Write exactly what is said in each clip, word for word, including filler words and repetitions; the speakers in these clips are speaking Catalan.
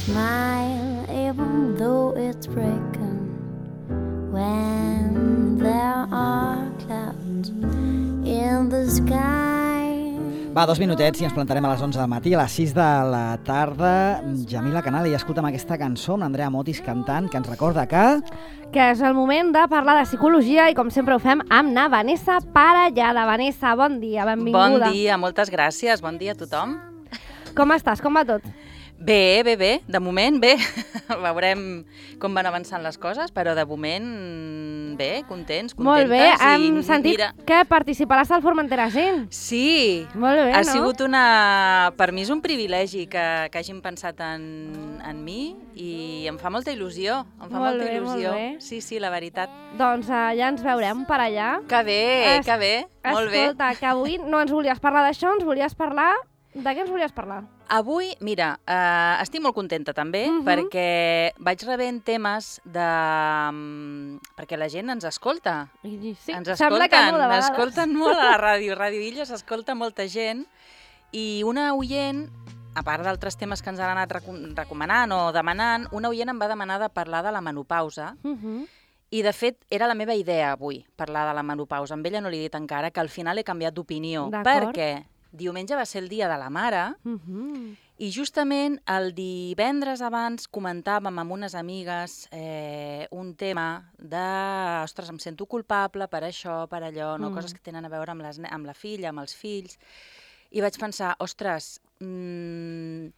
smile even though it's breaking when there are clouds in the sky. Va, dos minutets i ens plantarem a les onze del matí. A les sis de la tarda, Jamila Canal, i escolta'm aquesta cançó amb l'Andrea Motis cantant, que ens recorda que... Que és el moment de parlar de psicologia i, com sempre ho fem, amb na Vanessa Parellada. Vanessa, bon dia, benvinguda. Bon dia, moltes gràcies. Bon dia a tothom. Com estàs? Com va tot? Bé, bé, bé. De moment, bé. Veurem com van avançant les coses, però de moment, bé, contents, contentes. Molt bé. Hem i, sentit mira... que participaràs al Formentera Gent. Sí. Molt bé, ha no? sigut una... Per mi és un privilegi que, que hagin pensat en, en mi i em fa molta il·lusió. Em fa Molt molta bé, il·lusió. molt bé. Sí, sí, la veritat. Doncs uh, ja ens veurem per allà. Que bé, Es... que bé. Molt bé. Escolta, que avui no ens volies parlar d'això, ens volies parlar... De què ens volies parlar? Avui, mira, eh, estic molt contenta també, uh-huh. perquè vaig rebent temes de... perquè la gent ens escolta. I, sí, ens sembla escolten, que no, de vegades. escolten molt a la ràdio. Ràdio Illa s'escolta molta gent i una oient, a part d'altres temes que ens han anat recomanant o demanant, una oient em va demanar de parlar de la menopausa. Uh-huh. I, de fet, era la meva idea avui, parlar de la menopausa. Amb ella no li he dit encara, que al final he canviat d'opinió. Perquè diumenge va ser el dia de la mare uh-huh. i justament el divendres abans comentàvem amb unes amigues eh, un tema de, ostres, em sento culpable per això, per allò, no? Mm. Coses que tenen a veure amb, les, amb la filla, amb els fills. I vaig pensar, ostres, mmm,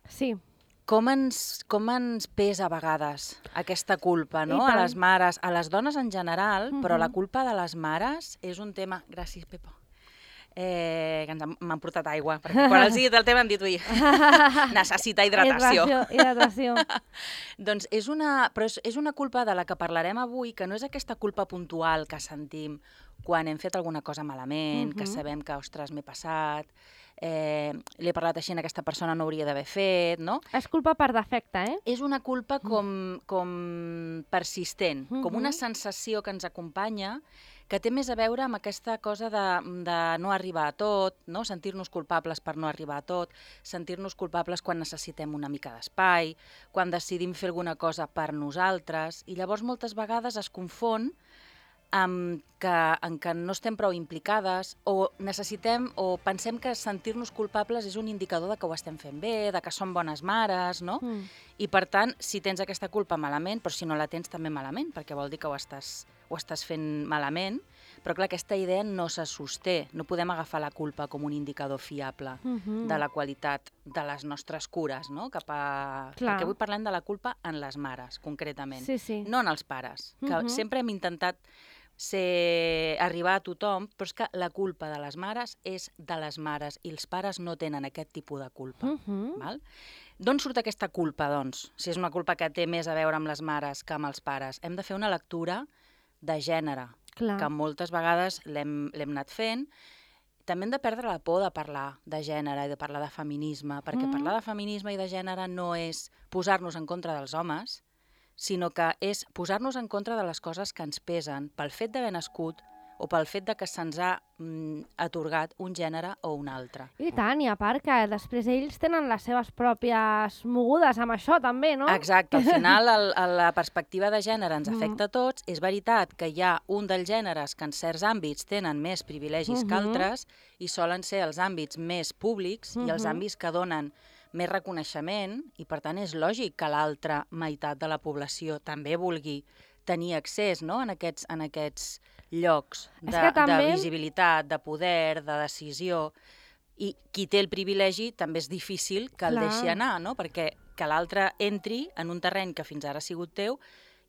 sí. Com ens, com ens pesa a vegades aquesta culpa, no? A les mares, a les dones en general, uh-huh. però la culpa de les mares és un tema... Gràcies, Pepa. Eh, que ens han, m'han portat aigua, perquè quan els he dit el tema hem dit, ui, necessita hidratació. Hidratació, hidratació. Doncs és una, però és, és una culpa de la que parlarem avui, que no és aquesta culpa puntual que sentim quan hem fet alguna cosa malament, uh-huh. que sabem que, ostres, m'he passat, eh, l'he parlat així, aquesta persona no hauria d'haver fet, no? És culpa per defecte, eh? És una culpa com, com persistent, uh-huh. com una sensació que ens acompanya, que té més a veure amb aquesta cosa de, de no arribar a tot, no? Sentir-nos culpables per no arribar a tot, sentir-nos culpables quan necessitem una mica d'espai, quan decidim fer alguna cosa per nosaltres, i llavors moltes vegades es confon amb que, en que no estem prou implicades o necessitem o pensem que sentir-nos culpables és un indicador de que ho estem fent bé, de que som bones mares, no? Mm. I per tant, si tens aquesta culpa malament, però si no la tens també malament, perquè vol dir que ho estàs, ho estàs fent malament, però clar, aquesta idea no se sosté, no podem agafar la culpa com un indicador fiable mm-hmm. de la qualitat de les nostres cures, no? Cap a... Perquè avui parlem de la culpa en les mares, concretament, sí, sí. no en els pares, que mm-hmm. sempre hem intentat ser, arribar a tothom, però és que la culpa de les mares és de les mares i els pares no tenen aquest tipus de culpa. Uh-huh. Val? D'on surt aquesta culpa, doncs? Si és una culpa que té més a veure amb les mares que amb els pares. Hem de fer una lectura de gènere, Clar. que moltes vegades l'hem, l'hem anat fent. També hem de perdre la por de parlar de gènere i de parlar de feminisme, perquè uh-huh. parlar de feminisme i de gènere no és posar-nos en contra dels homes, sinó que és posar-nos en contra de les coses que ens pesen pel fet d'haver nascut o pel fet de que se'ns ha mm, atorgat un gènere o un altre. I tant, i a part que després ells tenen les seves pròpies mogudes amb això també, no? Exacte, al final el, el, la perspectiva de gènere ens afecta a tots. És veritat que hi ha un dels gèneres que en certs àmbits tenen més privilegis uh-huh. que altres i solen ser els àmbits més públics uh-huh. i els àmbits que donen més reconeixement i, per tant, és lògic que l'altra meitat de la població també vulgui tenir accés, no?, en aquests, en aquests llocs de, també... de visibilitat, de poder, de decisió. I qui té el privilegi també és difícil que el Clar. deixi anar, no?, perquè que l'altre entri en un terreny que fins ara ha sigut teu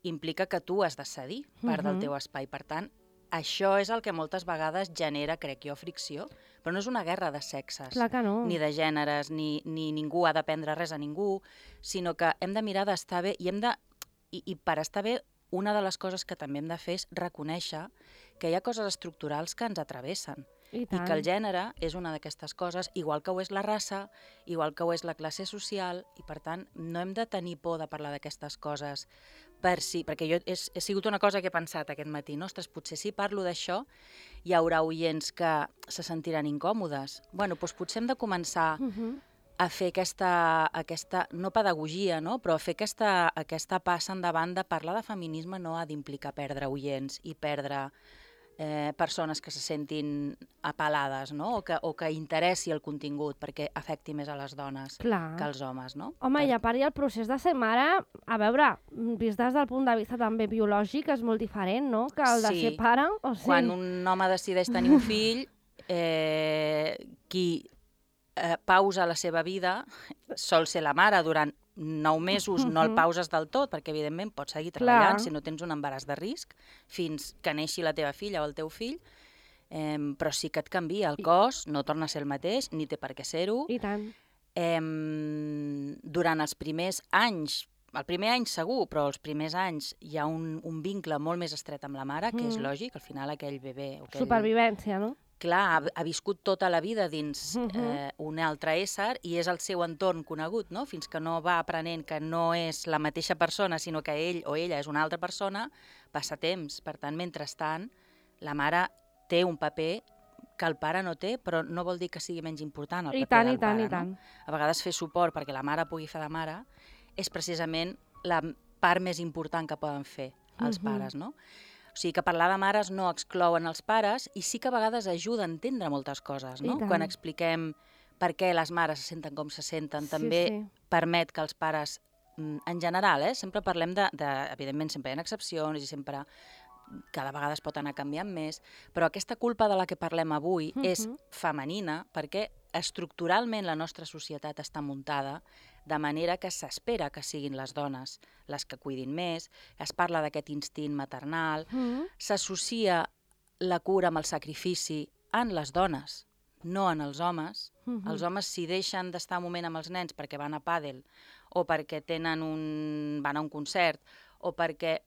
implica que tu has de cedir part uh-huh. del teu espai. Per tant, això és el que moltes vegades genera, crec jo, fricció. Però no és una guerra de sexes, no. ni de gèneres, ni, ni ningú ha de prendre res a ningú, sinó que hem de mirar d'estar bé i, hem de, i, i per estar bé una de les coses que també hem de fer és reconèixer que hi ha coses estructurals que ens atravessen i, i que el gènere és una d'aquestes coses, igual que ho és la raça, igual que ho és la classe social, i per tant no hem de tenir por de parlar d'aquestes coses per si, perquè jo he, he sigut una cosa que he pensat aquest matí, no? Ostres, potser si parlo d'això hi haurà oients que se sentiran incòmodes. Bueno, doncs potser hem de començar uh-huh. a fer aquesta, aquesta no pedagogia, no? Però a fer aquesta, aquesta passa endavant de parlar de feminisme no ha d'implicar perdre oients i perdre eh, persones que se sentin apel·lades, no? O que, o que interessi el contingut perquè afecti més a les dones Clar. que als homes, no? Home, Per... i a part i el procés de ser mare, a veure, vist des del punt de vista també biològic, és molt diferent, no?, que el de Sí. ser pare. O sigui... Quan un home decideix tenir un fill, eh, qui eh, pausa la seva vida sol ser la mare durant nou mesos, no el pauses del tot, perquè evidentment pots seguir treballant Clar. si no tens un embaràs de risc, fins que neixi la teva filla o el teu fill, eh, però sí que et canvia el cos, no torna a ser el mateix, ni té per què ser-ho. I tant. Eh, durant els primers anys, el primer any segur, però els primers anys hi ha un, un vincle molt més estret amb la mare, que és Mm. lògic, al final aquell bebè... o Aquell... Supervivència, no? Clar, ha, ha viscut tota la vida dins Mhm. eh, un altre ésser i és el seu entorn conegut, no? Fins que no va aprenent que no és la mateixa persona, sinó que ell o ella és una altra persona, passa temps. Per tant, mentrestant, la mare té un paper que el pare no té, però no vol dir que sigui menys important el I paper tant, del i tant, pare, i tant. no? A vegades fer suport perquè la mare pugui fer de mare és precisament la part més important que poden fer els Mhm. pares, no? O sigui que parlar de mares no exclouen els pares i sí que a vegades ajuda a entendre moltes coses, no? I tant. Quan expliquem per què les mares se senten com se senten, Sí, també sí. permet que els pares, mm, en general, eh, sempre parlem de, de... Evidentment, sempre hi ha excepcions i sempre cada vegada es pot anar canviant més, però aquesta culpa de la que parlem avui Mhm. és femenina perquè estructuralment la nostra societat està muntada de manera que s'espera que siguin les dones les que cuidin més, es parla d'aquest instint maternal, Mm. s'associa la cura amb el sacrifici en les dones, no en els homes. Mhm. Els homes, si deixen d'estar un moment amb els nens perquè van a pàdel o perquè tenen un... van a un concert o perquè...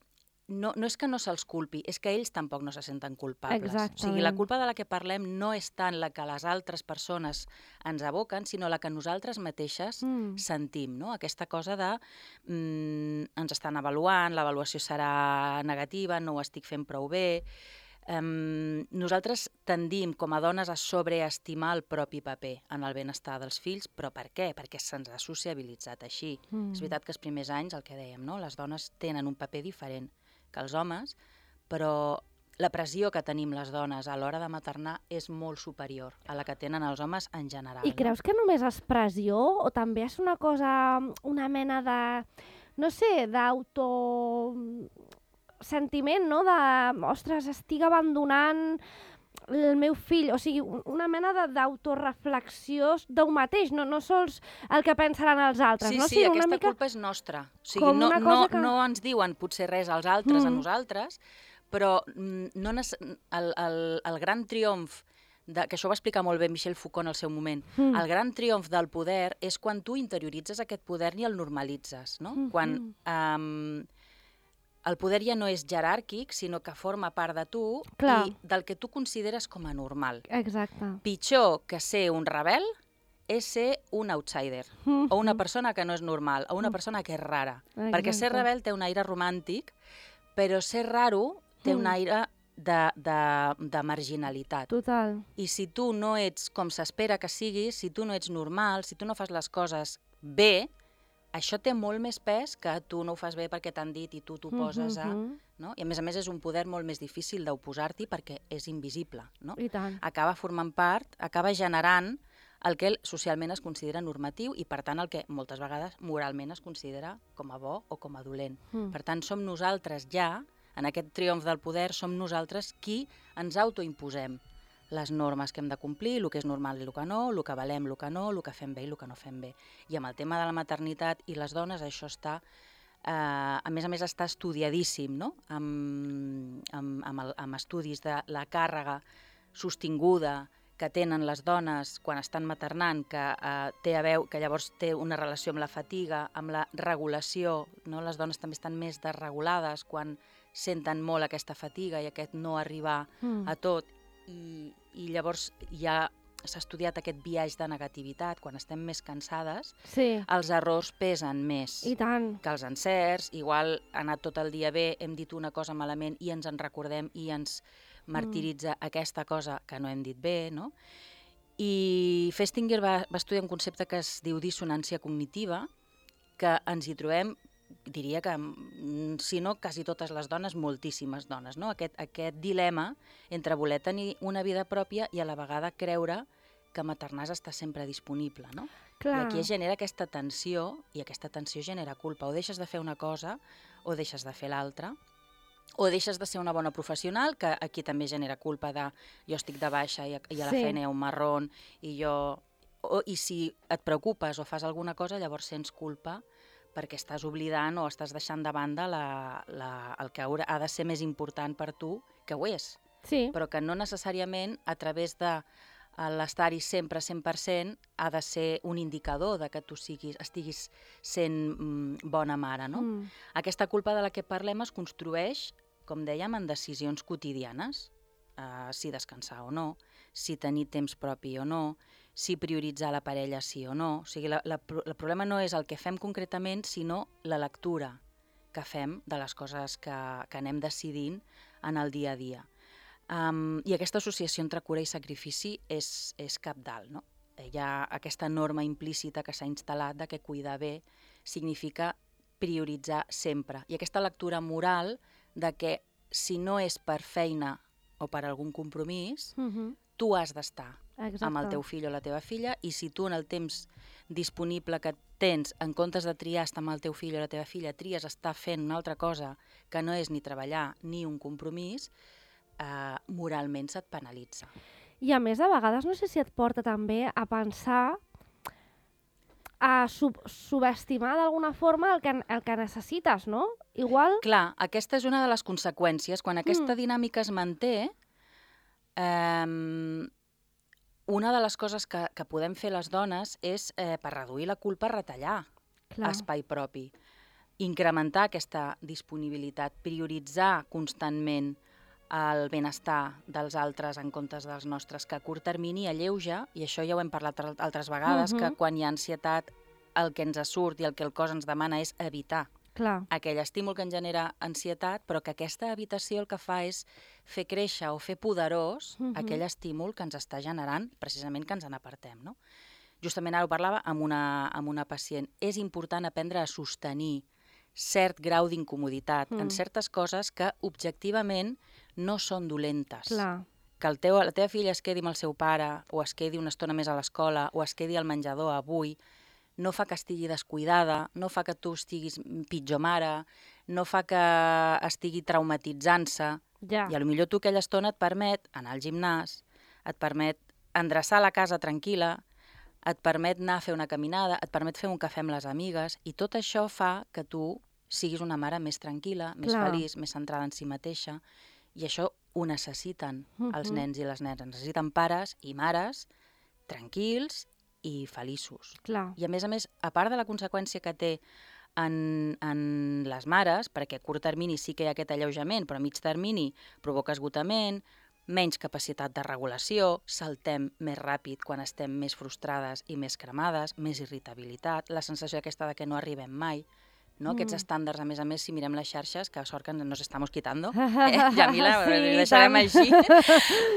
No, no és que no se'ls culpi, és que ells tampoc no se senten culpables. O sigui, la Exactament. culpa de la que parlem no és tant la que les altres persones ens aboquen, sinó la que nosaltres mateixes Mm. sentim, no? Aquesta cosa de mm, ens estan avaluant, l'avaluació serà negativa, no ho estic fent prou bé. Um, nosaltres tendim com a dones a sobreestimar el propi paper en el benestar dels fills, però per què? Perquè se'ns ha sociabilitzat així. Mm. És veritat que els primers anys, el que dèiem, no? Les dones tenen un paper diferent que els homes, però la pressió que tenim les dones a l'hora de maternar és molt superior a la que tenen els homes en general. I creus que només és pressió o també és una cosa, una mena de, no sé, d'auto... sentiment, no? De, ostres, estic abandonant el meu fill, o sigui, una mena de- d'autoreflexió d'un mateix, no, no sols el que pensaran els altres, Sí, no? sí, sigui, aquesta una mica... culpa és nostra. O sigui, com no, una no, cosa que- no ens diuen potser res als altres, a Mm. nosaltres, però mm, no nece- el, el, el gran triomf, de, que això ho va explicar molt bé Michel Foucault en el seu moment, Mm. el gran triomf del poder és quan tu interioritzes aquest poder i el normalitzes, no? Mhm. Quan um, el poder ja no és jeràrquic, sinó que forma part de tu Clar. i del que tu consideres com a normal. Exacte. Pitjor que ser un rebel és ser un outsider, Mhm. o una persona que no és normal, o una persona que és rara. Perquè ser Exacte. rebel té un aire romàntic, però ser raro té un Mm. aire de, de, de marginalitat. Total. I si tu no ets com s'espera que siguis, si tu no ets normal, si tu no fas les coses bé, això té molt més pes que tu no ho fas bé perquè t'han dit i tu t'ho poses a... Mhm. No? I a més a més és un poder molt més difícil d'oposar-t'hi perquè és invisible. No? I tant. Acaba formant part, acaba generant el que socialment es considera normatiu i, per tant, el que moltes vegades moralment es considera com a bo o com a dolent. Mm. Per tant, som nosaltres ja, en aquest triomf del poder, som nosaltres qui ens autoimposem les normes que hem de complir, el que és normal i el que no, el que valem, el que no, el que fem bé i el que no fem bé. I amb el tema de la maternitat i les dones això està, eh, a més a més està estudiadíssim, no? amb, amb, amb, el, amb estudis de la càrrega sostinguda que tenen les dones quan estan maternant, que, eh, té a veu, que llavors té una relació amb la fatiga, amb la regulació, no? Les dones també estan més desregulades quan senten molt aquesta fatiga i aquest no arribar Mm. a tot, i, i llavors ja s'ha estudiat aquest biaix de negativitat, quan estem més cansades, Sí, els errors pesen més i tant. que els encerts. Igual ha anat tot el dia bé, hem dit una cosa malament i ens en recordem i ens martiritza mm. aquesta cosa que no hem dit bé, no? I Festinger va, va estudiar un concepte que es diu dissonància cognitiva, que ens hi trobem, diria que, si no, quasi totes les dones, moltíssimes dones, no? Aquest, aquest dilema entre voler tenir una vida pròpia i a la vegada creure que maternar està sempre disponible, no? Clar. I aquí es genera aquesta tensió, i aquesta tensió genera culpa. O deixes de fer una cosa, o deixes de fer l'altra, o deixes de ser una bona professional, que aquí també genera culpa de jo estic de baixa i a, i a la Sí. feina hi ha un marrón, i jo... O, I si et preocupes o fas alguna cosa, llavors sents culpa perquè estàs oblidant o estàs deixant de banda la, la, el que haurà, ha de ser més important per tu, que ho és, Sí. però que no necessàriament a través de l'estar-hi sempre cent per cent ha de ser un indicador de que tu siguis, estiguis sent mm, bona mare, no? Mm. Aquesta culpa de la que parlem es construeix, com dèiem, en decisions quotidianes. Uh, si descansar o no, si tenir temps propi o no, si prioritzar la parella sí o no. O sigui, la, la, el problema no és el que fem concretament, sinó la lectura que fem de les coses que, que anem decidint en el dia a dia. Um, I aquesta associació entre cura i sacrifici és, és cabdal, no? Hi ha aquesta norma implícita que s'ha instal·lat de que cuidar bé significa prioritzar sempre. I aquesta lectura moral de que si no és per feina o per algun compromís, Mm-hmm. tu has d'estar Exacte. amb el teu fill o la teva filla, i si tu en el temps disponible que tens, en comptes de triar estar amb el teu fill o la teva filla, tries estar fent una altra cosa que no és ni treballar ni un compromís, eh, moralment se't penalitza. I a més, a vegades, no sé si et porta també a pensar, a sub subestimar d'alguna forma el que, el que necessites, no? Igual... Clar, aquesta és una de les conseqüències. Quan aquesta Mm. dinàmica es manté, eh, una de les coses que, que podem fer les dones és, eh, per reduir la culpa, retallar Clar. espai propi, incrementar aquesta disponibilitat, prioritzar constantment el benestar dels altres en comptes dels nostres, que a curt termini alleuja, i això ja ho hem parlat altres vegades, Mhm. que quan hi ha ansietat el que ens surt i el que el cos ens demana és evitar Clar. aquell estímul que ens genera ansietat, però que aquesta evitació el que fa és fer créixer o fer poderós Mhm. aquell estímul que ens està generant precisament que ens n'apartem, no? Justament ara ho parlava amb una, amb una pacient. És important aprendre a sostenir cert grau d'incomoditat Mm. en certes coses que objectivament no són dolentes. Clar. Que el teu, la teva filla es quedi amb el seu pare, o es quedi una estona més a l'escola, o es quedi al menjador avui, no fa que estigui descuidada, no fa que tu estiguis pitjor mare, no fa que estigui traumatitzant-se. Ja. I a lo millor tu aquella estona et permet anar al gimnàs, et permet endreçar la casa tranquil·la, et permet anar a fer una caminada, et permet fer un cafè amb les amigues, i tot això fa que tu siguis una mare més tranquil·la, més Clar. feliç, més centrada en si mateixa, i això ho necessiten els Mhm. nens i les nenes. Necessiten pares i mares tranquils i feliços. Clar. I a més a més, a part de la conseqüència que té en, en les mares, perquè a curt termini sí que hi ha aquest alleujament, però a mig termini provoca esgotament, menys capacitat de regulació, saltem més ràpid quan estem més frustrades i més cremades, més irritabilitat, la sensació aquesta de que no arribem mai, no? Aquests Mm. estàndards, a més a més, si mirem les xarxes, que sort que nos estamos quitando, eh, Jamila, Sí, ho deixarem tant. així,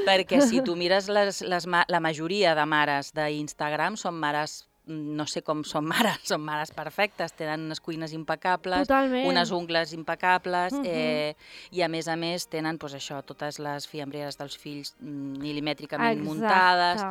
perquè si tu mires les, les, ma- la majoria de mares d'Instagram són mares, no sé com són mares, són mares perfectes, tenen unes cuines impecables, Totalment. unes ungles impecables, Mhm. eh, i a més a més tenen pues, això, totes les fiambreres dels fills mm, mil·limètricament muntades.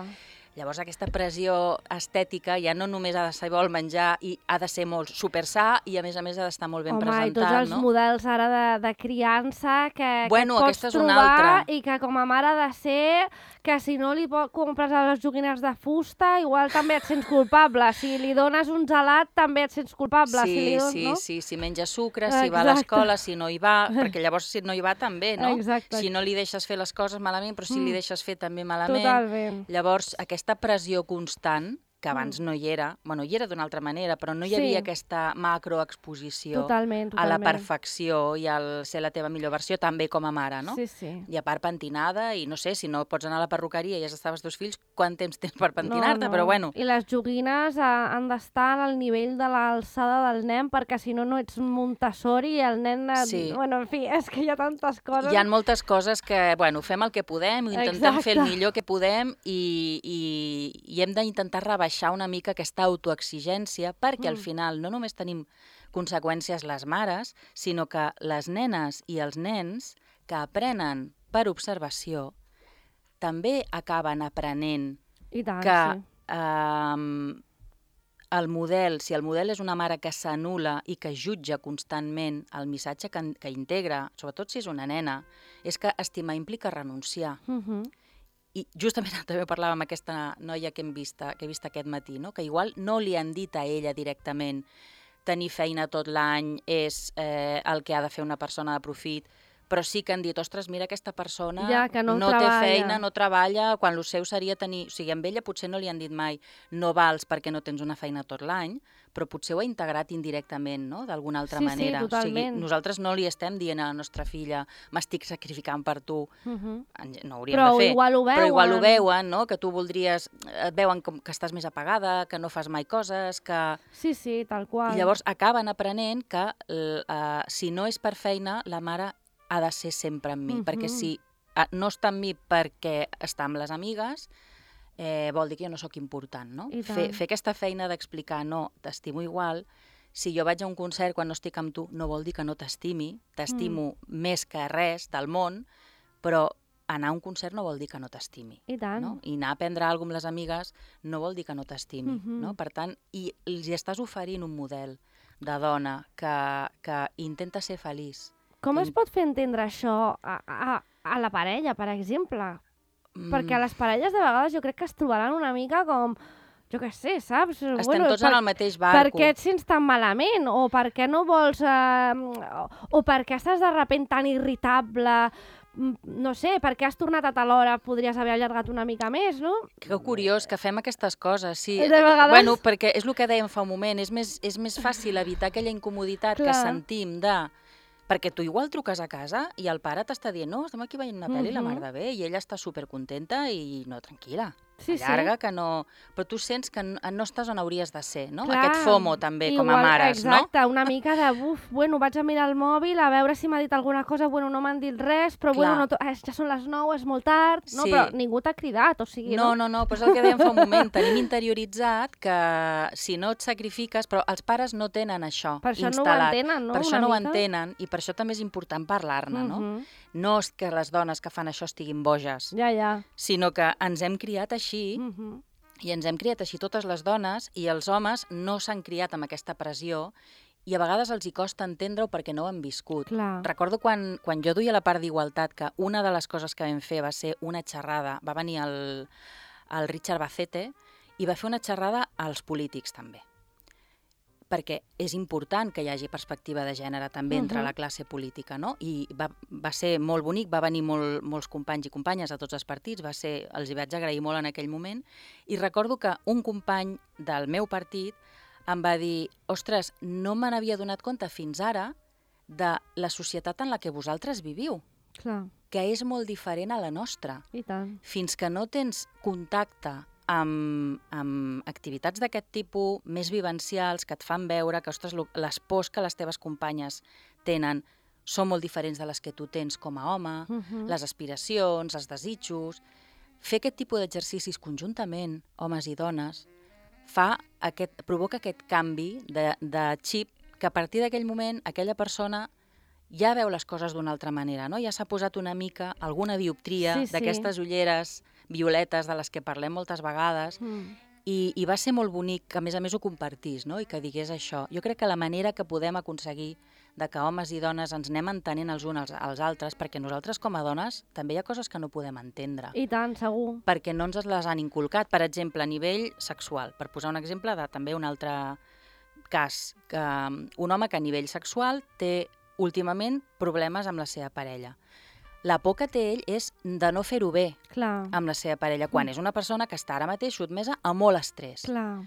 Llavors aquesta pressió estètica ja no només ha de ser bo el menjar i ha de ser molt supersà i a més a més ha d'estar molt ben Home, presentat, i tots els no? models ara de, de criança que, Bueno, que et pots aquesta és una trobar altra. i que com a mare ha de ser que si no li po- compres les joguines de fusta igual també et sents culpable. Si li dones un gelat també et sents culpable. Sí, si li dones, sí, no? sí, si menja sucre, si va a Exacte. l'escola, si no hi va, perquè llavors si no hi va també, no? Exacte. Si no li deixes fer les coses malament, però si li Mm. deixes fer també malament. Totalment. Llavors, aquesta pressió constant que abans mm. no hi era, bueno, hi era d'una altra manera, però no hi havia sí. aquesta macroexposició totalment, totalment. a la perfecció i al ser la teva millor versió, també com a mare, no? Sí, sí. I a part pentinada, i no sé, si no pots anar a la perruqueria i ja estaves dos fills, quant temps tens per pentinar-te? No, no. Però bueno. I les joguines eh, han d'estar al nivell de l'alçada del nen, perquè si no, no ets Montessori i el nen... Et... Sí. Bueno, en fi, és que hi ha tantes coses... Hi ha moltes coses que, bueno, fem el que podem, intentem Exacte. fer el millor que podem i, i, i hem d'intentar rebaixar una mica aquesta autoexigència perquè mm. al final no només tenim conseqüències les mares, sinó que les nenes i els nens que aprenen per observació també acaben aprenent I tant, que sí. eh, el model, si el model és una mare que s'anul·la i que jutja constantment el missatge que, que integra, sobretot si és una nena, és que estimar implica renunciar. Mhm. I justament també parlava amb aquesta noia que hem vist, que he vist aquest matí, no? Que igual no li han dit a ella directament tenir feina tot l'any és eh, el que ha de fer una persona de profit, però sí que han dit, ostres, mira aquesta persona ja, que no, no té feina, no treballa, quan el seu seria tenir... O sigui, amb ella potser no li han dit mai no vals perquè no tens una feina tot l'any, però potser ho ha integrat indirectament, no?, d'alguna altra sí, manera. Sí, totalment. O sigui, nosaltres no li estem dient a la nostra filla m'estic sacrificant per tu. Uh-huh. No ho hauríem però de fer. Igual ho veuen. Però igual ho veuen, no?, que tu voldries... Et veuen com que estàs més apagada, que no fas mai coses, que... Sí, sí, tal qual. I llavors acaben aprenent que uh, si no és per feina, la mare ha de ser sempre amb mi, uh-huh. perquè si uh, no està amb mi perquè està amb les amigues, eh, vol dir que jo no sóc important, no? Fer, fer aquesta feina d'explicar, no, t'estimo igual, si jo vaig a un concert quan no estic amb tu, no vol dir que no t'estimi, t'estimo mm. més que res del món, però anar a un concert no vol dir que no t'estimi. I tant. No? I anar a prendre alguna cosa amb les amigues no vol dir que no t'estimi. Uh-huh. No? Per tant, i els estàs oferint un model de dona que, que intenta ser feliç. Com es pot fer entendre això a, a, a la parella, per exemple? Mm. Perquè a les parelles de vegades jo crec que es trobaran una mica com, jo què sé, saps? Estem bueno, tots per, en el mateix barco. Per què et sents tan malament? O per què no vols... Eh, o, o per què estàs de repent tan irritable? No sé, per què has tornat a tal hora? Podries haver allargat una mica més, no? Que curiós que fem aquestes coses, sí. De vegades... Bueno, perquè és el que dèiem fa un moment, és més, és més fàcil evitar aquella incomoditat Clar. que sentim de... Perquè tu igual truques a casa i el pare t'està dient no, estem aquí veient una pel·li, uh-huh. la mar de bé, i ella està supercontenta i no, tranquil·la. Sí, allarga, sí. que no... Però tu sents que no, no estàs on hauries de ser, no? Clar, Aquest FOMO també, igual, com a mares, exacte, no? Exacte, una mica de, buf, bueno, vaig a mirar el mòbil a veure si m'ha dit alguna cosa, bueno, no m'han dit res, però Clar. bueno, no eh, ja són les nou, és molt tard, no? Sí. Però ningú t'ha cridat, o sigui, no? No, no, no, però és el que dèiem fa un moment, tenim interioritzat que si no et sacrifiques, però els pares no tenen això per això instal·lat. no ho entenen, no? Per això una no mica? ho entenen, i per això també és important parlar-ne, no? Uh-huh. No és que les dones que fan això estiguin boges, Ja, ja. sinó que ens hem criat així, Uh-huh. i ens hem criat així totes les dones, i els homes no s'han criat amb aquesta pressió, i a vegades els hi costa entendre-ho perquè no ho han viscut. Clar. Recordo quan, quan jo duia la part d'igualtat, que una de les coses que vam fer va ser una xerrada, va venir el, el Richard Bacete, i va fer una xerrada als polítics també. Perquè és important que hi hagi perspectiva de gènere també uh-huh. entre la classe política, no? I va, va ser molt bonic, va venir molt, molts companys i companyes a tots els partits, va ser, els hi vaig agrair molt en aquell moment, i recordo que un company del meu partit em va dir, ostres, no me n'havia donat compte fins ara de la societat en la que vosaltres viviu, Clar. que és molt diferent a la nostra. I tant. Fins que no tens contacte amb, amb activitats d'aquest tipus més vivencials que et fan veure que, ostres, les pors que les teves companyes tenen són molt diferents de les que tu tens com a home, uh-huh. les aspiracions, els desitjos. Fer aquest tipus d'exercicis conjuntament, homes i dones, fa aquest, provoca aquest canvi de, de xip que a partir d'aquell moment aquella persona ja veu les coses d'una altra manera, no? Ja s'ha posat una mica alguna dioptria sí, sí. d'aquestes ulleres violetes de les que parlem moltes vegades mm. i, i va ser molt bonic que a més a més ho compartís, no? I que digués això. Jo crec que la manera que podem aconseguir de que homes i dones ens anem entenent els uns als, als altres, perquè nosaltres com a dones també hi ha coses que no podem entendre. I tant, segur. Perquè no ens les han inculcat, per exemple, a nivell sexual. Per posar un exemple de també un altre cas, que un home que a nivell sexual té últimament problemes amb la seva parella. la por que té ell és de no fer-ho bé Clar. amb la seva parella, quan Mm. és una persona que està ara mateix sotmesa a molt estrès. Clar.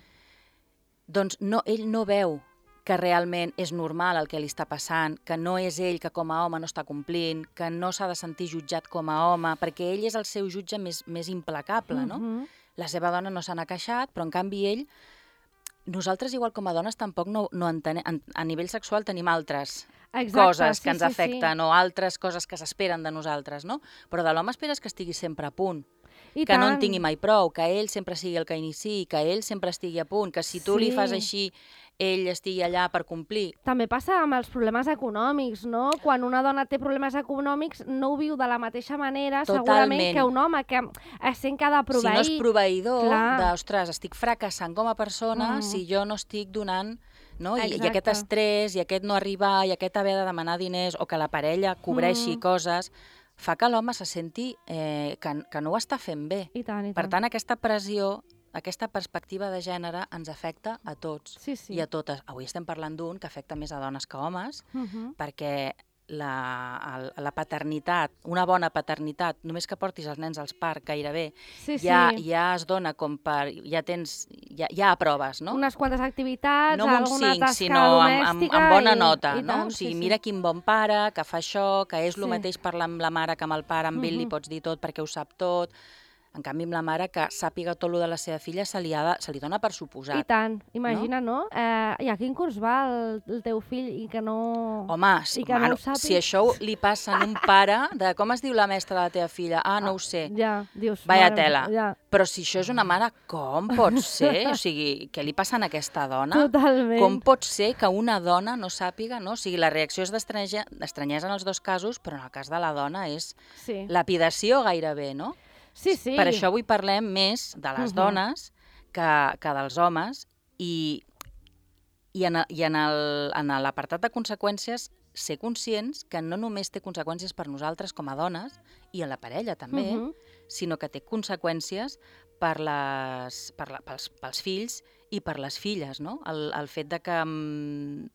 Doncs no, ell no veu que realment és normal el que li està passant, que no és ell que com a home no està complint, que no s'ha de sentir jutjat com a home, perquè ell és el seu jutge més, més implacable, no? Mhm. La seva dona no se n'ha queixat, però en canvi ell... Nosaltres, igual com a dones, tampoc no, no entenem... A nivell sexual tenim altres Exacte, coses sí, que ens sí, afecten o altres coses que s'esperen de nosaltres, no? Però de l'home esperes que estigui sempre a punt, I que no en tant. tingui mai prou, que ell sempre sigui el que iniciï, que ell sempre estigui a punt, que si tu li Sí. fas així, ell estigui allà per complir. També passa amb els problemes econòmics, no? Quan una dona té problemes econòmics no ho viu de la mateixa manera, segurament, Totalment. que un home que es sent que ha de Si proveir. no és proveïdor, Clar. de, ostres, estic fracassant com a persona Mm. si jo no estic donant... No? I, I Exacte. aquest estrès, i aquest no arribar, i aquest haver de demanar diners, o que la parella cobreixi Mm. coses, fa que l'home se senti eh, que, que no ho està fent bé. I tant, i tant. Per tant, aquesta pressió, aquesta perspectiva de gènere ens afecta a tots sí, sí. i a totes. Avui estem parlant d'un que afecta més a dones que a homes, Mhm. perquè la, el, la paternitat, una bona paternitat, només que portis els nens als parcs gairebé, Sí, sí. ja, ja es dona com per... ja tens... ja, ja aproves, no? Unes quantes activitats, no amb un alguna cinc, tasca sinó amb, amb, domèstica amb bona i, nota, i no? tant, O sigui, sí, sí. mira quin bon pare, que fa això, que és el Sí. mateix parlar amb la mare que amb el pare, amb ell li Mhm. pots dir tot perquè ho sap tot. En canvi, amb la mare, que sàpiga tot el de la seva filla, se li, ha de, se li dona per I suposat. tant, imagina, no? Eh, I a quin curs va el, el teu fill i que no... Home, I que no mano, ho sàpiga. si això li passa a un pare, de com es diu la mestra de la teva filla? Ah, no ho sé. Ja, dius... Vaya mare, tela. Ja, Però si això és una mare, com pot ser? O sigui, què li passa a aquesta dona? totalment. Com pot ser que una dona no sàpiga, no? O sigui, la reacció és d'estranyesa d'estranyesa en els dos casos, però en el cas de la dona és Sí, lapidació gairebé, no? sí. sí. Per això avui parlem més de les Mhm. dones que, que dels homes i, i en, i en el- en l'apartat de conseqüències ser conscients que no només té conseqüències per nosaltres com a dones i en la parella també, Mhm. sinó que té conseqüències per les, per la, pels, pels fills i per les filles, no? El, el fet de que mm,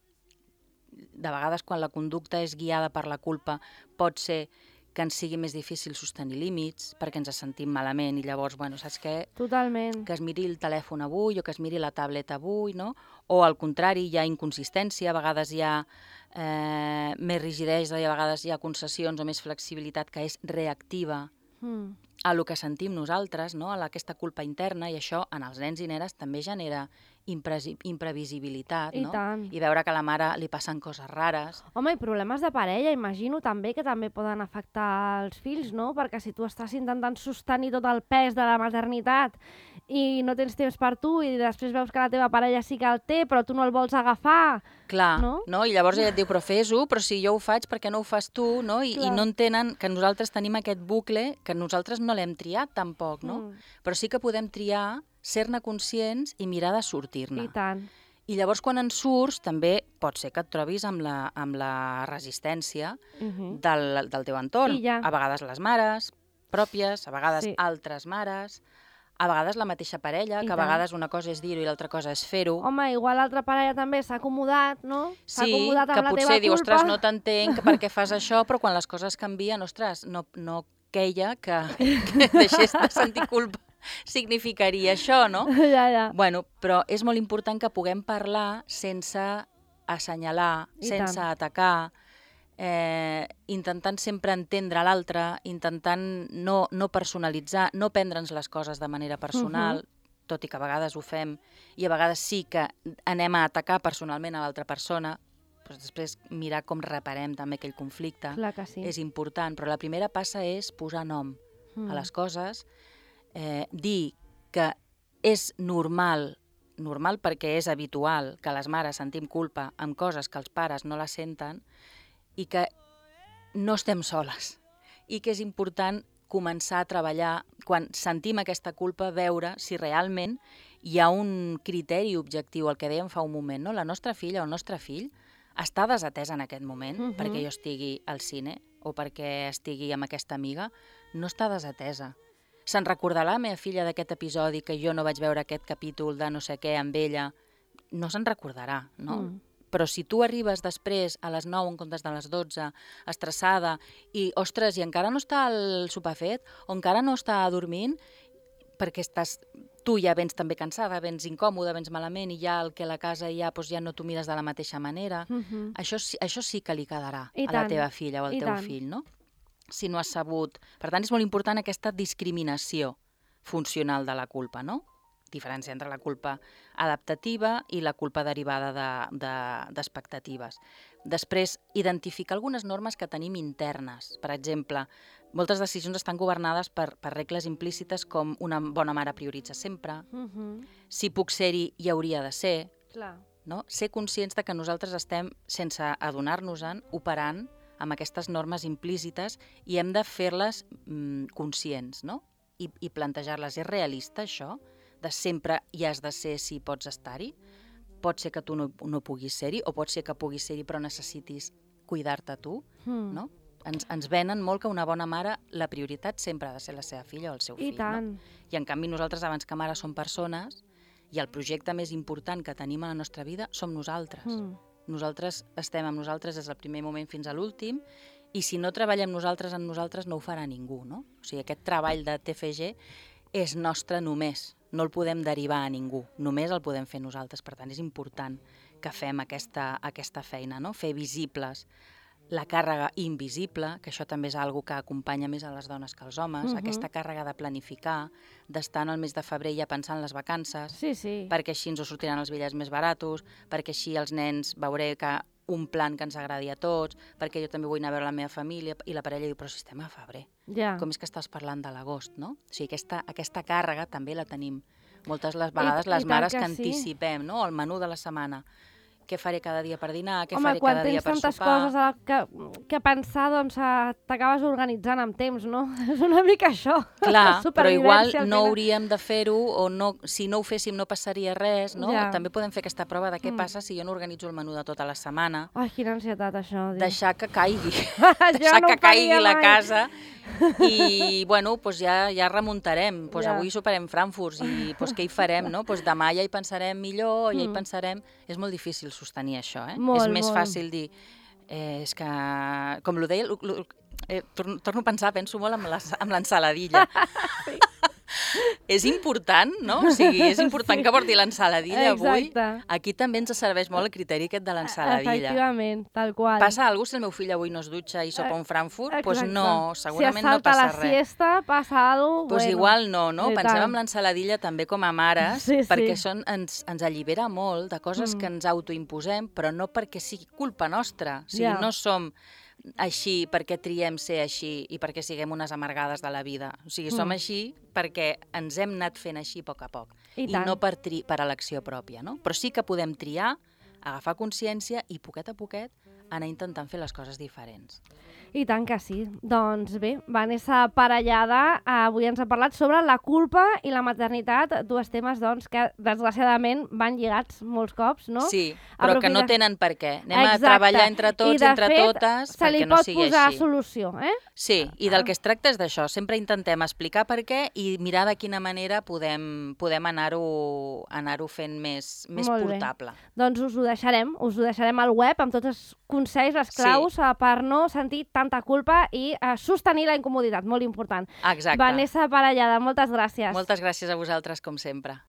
de vegades quan la conducta és guiada per la culpa pot ser que ens sigui més difícil sostenir límits perquè ens sentim malament i llavors, bueno, saps què? Totalment. Que es miri el telèfon avui o que es miri la tableta avui, no? O al contrari, hi ha inconsistència, a vegades hi ha eh, més rigidesa i a vegades hi ha concessions o més flexibilitat que és reactiva Mm. a lo que sentim nosaltres, no? A aquesta culpa interna, i això en els nens i nenes també genera impresi- imprevisibilitat, I no? tant. I veure que a la mare li passen coses rares. Home, i problemes de parella, imagino també que també poden afectar els fills, no? Perquè si tu estàs intentant sostenir tot el pes de la maternitat i no tens temps per tu i després veus que la teva parella sí que el té però tu no el vols agafar... Clar, No? no? I llavors ella et diu, però fes-ho, però si jo ho faig, per què no ho fas tu? No? I, Clar. I no entenen que nosaltres tenim aquest bucle que nosaltres no l'hem triat tampoc, no? Mm. Però sí que podem triar, ser-ne conscients i mirar de sortir-ne. I tant. I llavors quan en surts també pot ser que et trobis amb la, amb la resistència Mhm. del, del teu entorn. I ja. A vegades les mares pròpies, a vegades Sí. altres mares, a vegades la mateixa parella, I que a tant. vegades una cosa és dir-ho i l'altra cosa és fer-ho. Home, igual l'altra parella també s'ha acomodat, no? S'ha Sí, acomodat amb que la potser teva diu, culpa. ostres, no t'entenc per què fas això, però quan les coses canvien, ostres, no, no queia que, que deixés de sentir culpa significaria això, no? Ja, ja. Bueno, però és molt important que puguem parlar sense assenyalar, I sense tant. atacar, eh, intentant sempre entendre l'altre, intentant no, no personalitzar, no prendre'ns les coses de manera personal, tot i que a vegades ho fem, i a vegades sí que anem a atacar personalment a l'altra persona, però després mirar com reparem també aquell conflicte. Clar que sí. És important, però la primera passa és posar nom Mm. a les coses, eh, dir que és normal, normal perquè és habitual que les mares sentim culpa amb coses que els pares no la senten i que no estem soles i que és important començar a treballar, quan sentim aquesta culpa, veure si realment hi ha un criteri objectiu, el que dèiem fa un moment, no? La nostra filla o el nostre fill està desatès en aquest moment Mhm. perquè jo estigui al cine o perquè estigui amb aquesta amiga, no està desatesa. Se'n recordarà la meva filla d'aquest episodi que jo no vaig veure aquest capítol de no sé què amb ella? No se'n recordarà, no? Mm. Però si tu arribes després a les nou en comptes de les dotze, estressada, i, ostres, i encara no està el sopar fet, o encara no està dormint, perquè estàs, tu ja vens també cansada, vens incòmoda, vens malament, i ja el que a la casa ja, doncs ja no t'ho mires de la mateixa manera, Mhm. això, sí- això sí que li quedarà I a la tant, teva filla o al i teu tant. fill, no? Si no has sabut... Per tant, és molt important aquesta discriminació funcional de la culpa, no? Diferència entre la culpa adaptativa i la culpa derivada de- de- d'expectatives. Després, identificar algunes normes que tenim internes. Per exemple, moltes decisions estan governades per, per regles implícites com una bona mare prioritza sempre, Mhm. si puc ser-hi, hi hauria de ser, Clar. no? Ser conscients de que nosaltres estem, sense adonar-nos-en, operant amb aquestes normes implícites i hem de fer-les mm, conscients, no? I, i plantejar-les. És realista, això? De sempre hi has de ser si pots estar-hi? Pot ser que tu no, no puguis ser-hi, o pot ser que puguis ser-hi però necessitis cuidar-te tu, Mm. no? Ens, ens venen molt que una bona mare, la prioritat sempre ha de ser la seva filla o el seu I fill, tant. no? I en canvi nosaltres, abans que mares, som persones i el projecte més important que tenim a la nostra vida som nosaltres. Mm. Nosaltres estem amb nosaltres des del primer moment fins a l'últim, i si no treballem nosaltres en nosaltres no ho farà ningú, no? O sigui, aquest treball de T F G és nostre només, no el podem derivar a ningú, només el podem fer nosaltres. Per tant, és important que fem aquesta, aquesta feina, no? Fer visibles la càrrega invisible, que això també és algo que acompanya més a les dones que als homes, Mhm. aquesta càrrega de planificar, d'estar en el mes de febrer ja pensant en les vacances, Sí, sí. perquè així ens ho sortiran els bitllets més baratos, perquè així els nens veuré que un plan que ens agradi a tots, perquè jo també vull anar a veure la meva família, i la parella diu, però si estem a febrer, Ja. com és que estàs parlant de l'agost, no? O sigui, aquesta, aquesta càrrega també la tenim moltes les vegades I les tant mares que que sí. anticipem, no? El menú de la setmana. Què faré cada dia per dinar, què Home, faré quan cada dia tens per tantes sopar... coses a que, que pensar, doncs eh, t'acabes organitzant amb temps, no? És una mica això. Clar, però igual Supervivència, al no final. hauríem de fer-ho, o no, si no ho féssim no passaria res, no? Ja. També podem fer aquesta prova de què Mm. passa si jo no organitzo el menú de tota la setmana, Ai, quina ansietat, això. Diu. deixar que caigui, Jo deixar no que ho faria caigui la mai. casa, i bueno, doncs ja, ja remuntarem. Doncs Ja. avui soparem Frankfurts, i doncs què hi farem, no? Doncs demà ja hi pensarem millor, ja hi Mm. pensarem... És molt difícil sostenir això, eh? Molt, és més molt. fàcil dir... Eh, és que, com lo deia, lo, lo, eh, torno, torno a pensar, penso molt amb la- amb l'ensaladilla. És important, no? O sigui, és important Sí. que porti l'ensaladilla avui. Exacte. Aquí també ens serveix molt el criteri aquest de l'ensaladilla. Efectivament, tal qual. Passa alguna cosa si el meu fill avui no es dutxa i sopa un Frankfurt? Doncs pues Exacte. no, segurament no si es salta passa la res. siesta, passa alguna cosa... Doncs pues igual no, no? i Pensem tant. en l'ensaladilla també com a mares, Sí, sí. perquè són, ens, ens allibera molt de coses Mm. que ens autoimposem, però no perquè sigui culpa nostra. O sigui, Ja. no som així perquè triem ser així i perquè siguem unes amargades de la vida. O sigui, som Mm. així perquè ens hem anat fent així a poc a poc. I I tant. no per, tri per elecció pròpia, no? Però sí que podem triar, agafar consciència i poquet a poquet anar intentant fer les coses diferents. I tant que sí. Doncs bé, Vanessa Parellada avui ens ha parlat sobre la culpa i la maternitat, dos temes doncs, que desgraciadament van lligats molts cops, no? Sí, però que no Aprofita- tenen per què. Anem Exacte. a treballar entre I, tots, de entre fet, totes, se li perquè no pot sigui posar així. solució, eh? Sí, i del que es tracta és d'això. Sempre intentem explicar per què i mirar de quina manera podem, podem anar-ho anar-ho fent més, més Molt bé. portable. Doncs us ho deixarem, us ho deixarem al web amb tots els consells, les claus Sí. eh, per no sentir tanta culpa i eh, sostenir la incomoditat, molt important. Exacte. Vanessa Parellada, moltes gràcies. Moltes gràcies a vosaltres, com sempre.